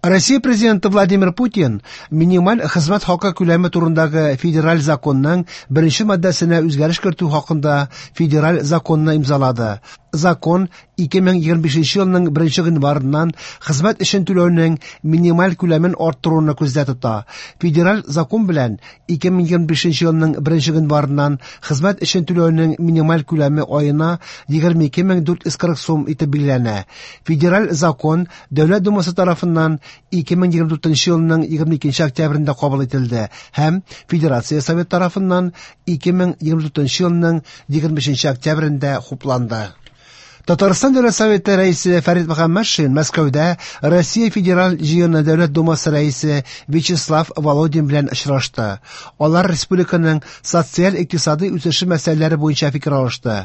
Россия Президенты Владимир Путин минималь хезмәт хакы күләме турындагы федераль законның беренче маддәсенә үзгәреш кертү хакында федераль законны имзалады. Закон 2025 елның 1 гыйнварыннан хезмәт өчен түләүнең минималь күләмен арттыруны күздә тота. Федераль закон белән 2025 елның 1 гыйнварыннан хезмәт өчен түләүнең минималь күләме аена 22 440 сум итеп билгеләнә. Федераль закон Дәүләт Думасы тарафыннан 2024 елның 22 октябрендә кабул ителде һәм Федерация Советы тарафыннан 2024 елның 25 октябрендә хупланды. Татарстан Дәүләт Советы рәисе Фәрит Мөхәммәтшин Мәскәүдә Россия Федераль Җыены Дәүләт Думасы рәисе Вячеслав Володин белән очрашты. Алар республиканың социаль-икътисади үсеше мәсьәләләре буенча фикер алышты.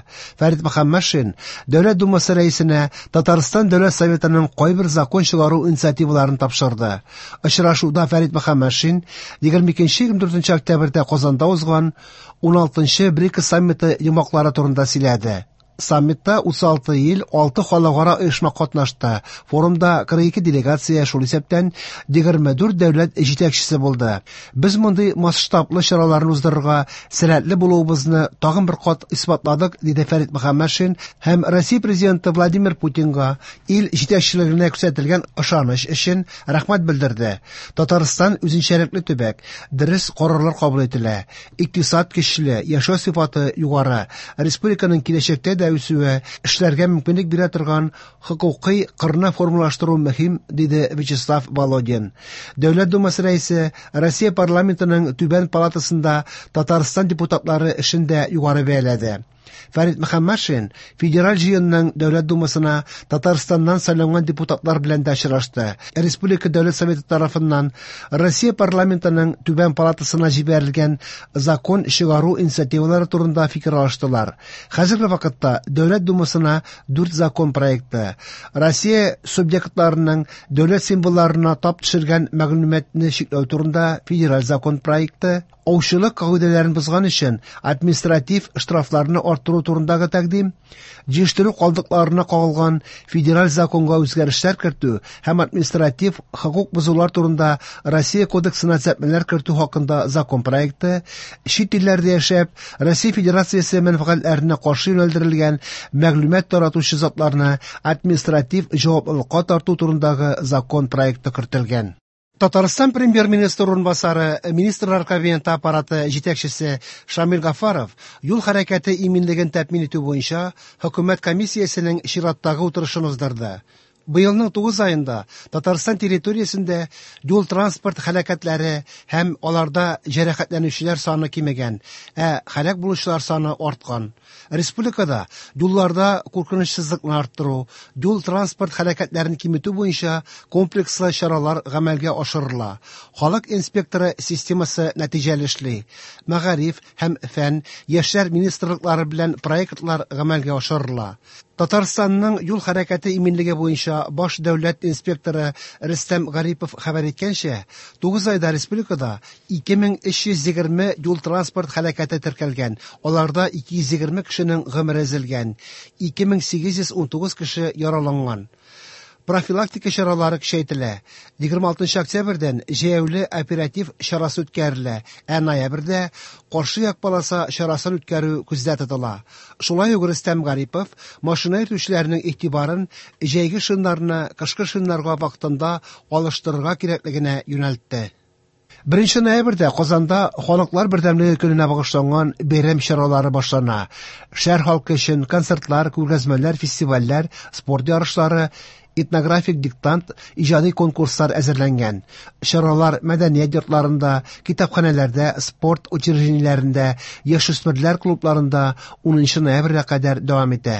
Фәрит Мөхәммәтшин Дәүләт Думасы рәисенә Татарстан Дәүләт Советының кайбер закон чыгару инициативаларын тапшырды. Очрашуда Фәрит Мөхәммәтшин 22-24 октябрьдә Казанда узган 16-нчы БРИКС саммиты йомгаклары турында сөйләде. Саммитта 36 ил, 6 халыкара оешма катнашты. Форумда 42 делегация, шул исәптән 24 дәүләт җитәкчесе булды. Без мондый масштаблы чараларны уздырырга сәләтле булуыбызны тагын бер кат исбатладык, диде Фәрит Мөхәммәтшин һәм Россия Президенты Владимир Путинга ил җитәкчелегенә күрсәтелгән ышаныч өчен рәхмәт белдерде. Татарстан үзенчәлекле төбәк, дөрес карарлар кабул ителә. Икътисад көчле, яшәү сыйфаты югары. Республиканың киләчәктә дә үсүе, эшләргә мөмкинлек бирә торган хокукый кырны формалаштыру мөһим, диде Вячеслав Володин. Дәүләт Думасы рәисе Россия парламентының түбән палатасында Татарстан депутатлары эшен дә югары бәяләде. Фәрит Мөхәммәтшин Федераль җыенның Дәүләт Думасына Татарстаннан сайланган депутатлар белән дә очрашты. Республика Дәүләт Советы тарафыннан Россия парламентының түбән палатасына җибәрелгән закон чыгару инициативалары турында фикер алыштылар. Хәзерге вакытта Дәүләт Думасына 4 закон проекты, Россия субъектларының дәүләт символларына тап төшергән мәгълүматны чикләү турында федераль закон проекты, аучылык кагыйдәләрен бозган өчен административ штрафларны арттыру турындагы тәкъдим, җыештыру калдыкларына кагылган федераль законга үзгәрешләр кертү һәм административ хокук бозулар турында Россия кодексына төзәтмәләр кертү хакында закон проекты, чит илләрдә яшәп, Россия Федерациясе мәнфәгатьләренә каршы юнәлдерелгән мәгълүмат таратучы затларны административ җаваплылыкка тарту турындагы закон проекты кертелгән. Татарстан премьер-министр урынбасары, Министрлар Кабинеты аппараты җитәкчесе Шамил Гафаров юл хәрәкәте иминлеген тәэмин итү буенча хөкүмәт комиссиясенең чираттагы утырышын уздырды. Быелның 9 аенда Татарстан территориясендә юл-транспорт һәлакәтләре һәм аларда җәрәхәтләнүчеләр саны кимегән, ә һәлак булучылар саны арткан. Республикада юлларда куркынычсызлыкны арттыру, юл-транспорт һәлакәтләрен киметү буенча комплекслы чаралар гамәлгә ашырыла. Халык инспекторы системасы нәтиҗәле эшли. Мәгариф һәм фән, яшьләр министрлыклары белән проектлар гамәлгә ашырыла. Татарстанның юл хәрәкәте иминлеге буенча баш дәүләт инспекторы Рөстәм Гарипов хәбәр иткәнчә, 9 айда республикада 2320 юл-транспорт һәлакәте теркәлгән, аларда 220 кешенең гомере өзелгән, 2819 кеше яраланган. Профилактика чаралары көчәйтелә. 26 октябрьдән җәяүле оператив чарасы үткәрелә, ә ноябрьдә каршы як полоса чарасын үткәрү күздә тотыла. Шулай ук Рөстәм Гарипов машина йөртүчеләрнең игътибарын җәйге шиннарны кышкы шиннарга вакытында алыштырырга кирәклегенә юнәлтте. 1 ноябрьдә Казанда Халыклар бердәмлеге көненә багышланган бәйрәм чаралары башлана. Шәһәр халкы өчен концертлар, күргәзмәләр, фестивальләр, спорт ярышлары, этнографик диктант, иҗади конкурслар әзерләнгән. Чаралар мәдәният йортларында, китапханәләрдә, спорт учреждениеләрендә, яшүсмерләр клубларында 10 ноябрьгә кадәр дәвам итә.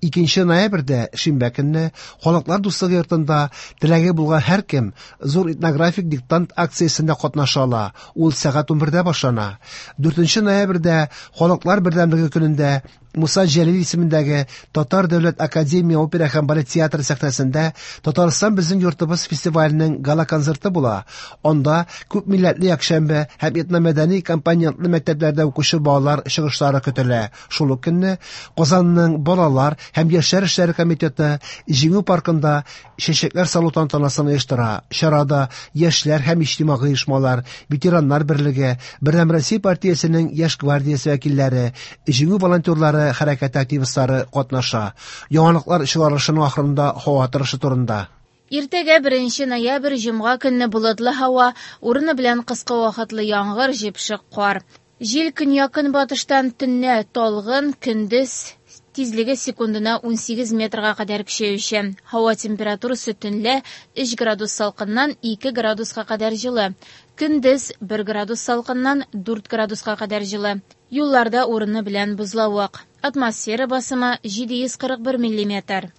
2 ноябрьдә шимбә көнне Халыклар дуслыгы йортында теләге булган һәркем зур этнографик диктант акциясендә катнаша ала. Ул сәгать 11-дә башлана. 4 ноябрьдә Халыклар бердәмлеге көнендә Муса Җәлил исемендәге Татар дәүләт академия опера һәм балет театры сәхнәсендә Татарстан безнең йортыбыз фестиваленең гала-концерты була. Анда күпмилләтле якшәмбе һәм этномәдәни компонентлы мәктәпләрдә укучы балалар чыгышлары көтелә. Шул ук көнне Казанның балалар һәм яшьләр эшләре комитеты Җиңү паркында чәчәкләр салу тантанасын оештыра. Чарада яшьләр һәм иҗтимагый оешмалар, ветераннар берлеге, Бердәм Россия партиясенең яшь гвардиясе вәкилләре, Җиңү волонтерлары хәрәкәте активистлары катнаша. Яңалыклар чыгарылышының ахырында һава торышы турында. Иртәгә 1 ноябрь җомга көнне болытлы һава, урыны белән кыска вакытлы яңгыр, җепшек кар. Җил көньяк-көнбатыштан төнлә талгын, көндез тизлеге секундына 18 метрга кадәр көчәючән. Һава температурасы төнлә 3 градус салкыннан 2 градуска кадәр җылы. Көндез 1 градус салкыннан 4 градуска кадәр җылы. Юлларда урыны белән бозлавык. Атмосфера басымы 741 миллиметр.